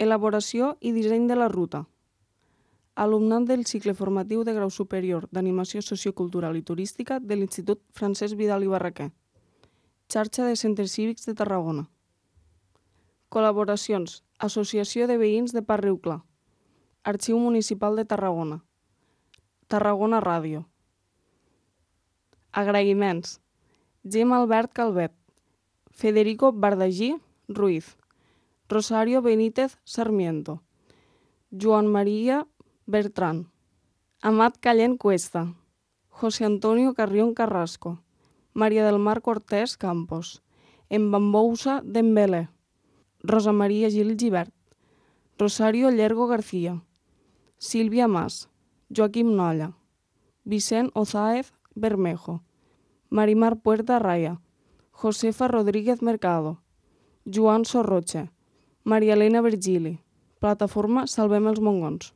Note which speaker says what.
Speaker 1: Elaboració i disseny de la ruta. Alumnat del cicle formatiu de grau superior d'Animació Sociocultural i Turística de l'Institut Francesc Vidal i Barraquer. Xarxa de Centres Cívics de Tarragona. Col·laboracions. Associació de Veïns de Parc Riu Clar. Arxiu Municipal de Tarragona. Tarragona Ràdio. Agraïments. Gemma Albert Calvet. Federico Bardagí Ruiz. Rosario Benítez Sarmiento. Joan Maria Bertran. Amat Callent Cuesta. José Antonio Carrión Carrasco. María del Mar Cortés Campos. Embambousa Dembélé. Rosa Maria Gil Gibert. Rosario Llergo García. Sílvia Mas. Joaquim Nolla. Vicent Ozáez Bermejo. Marimar Puerta Raya. Josefa Rodríguez Mercado. Joan Sorroche. Maria Elena Virgili. Plataforma Salvem els Mongons.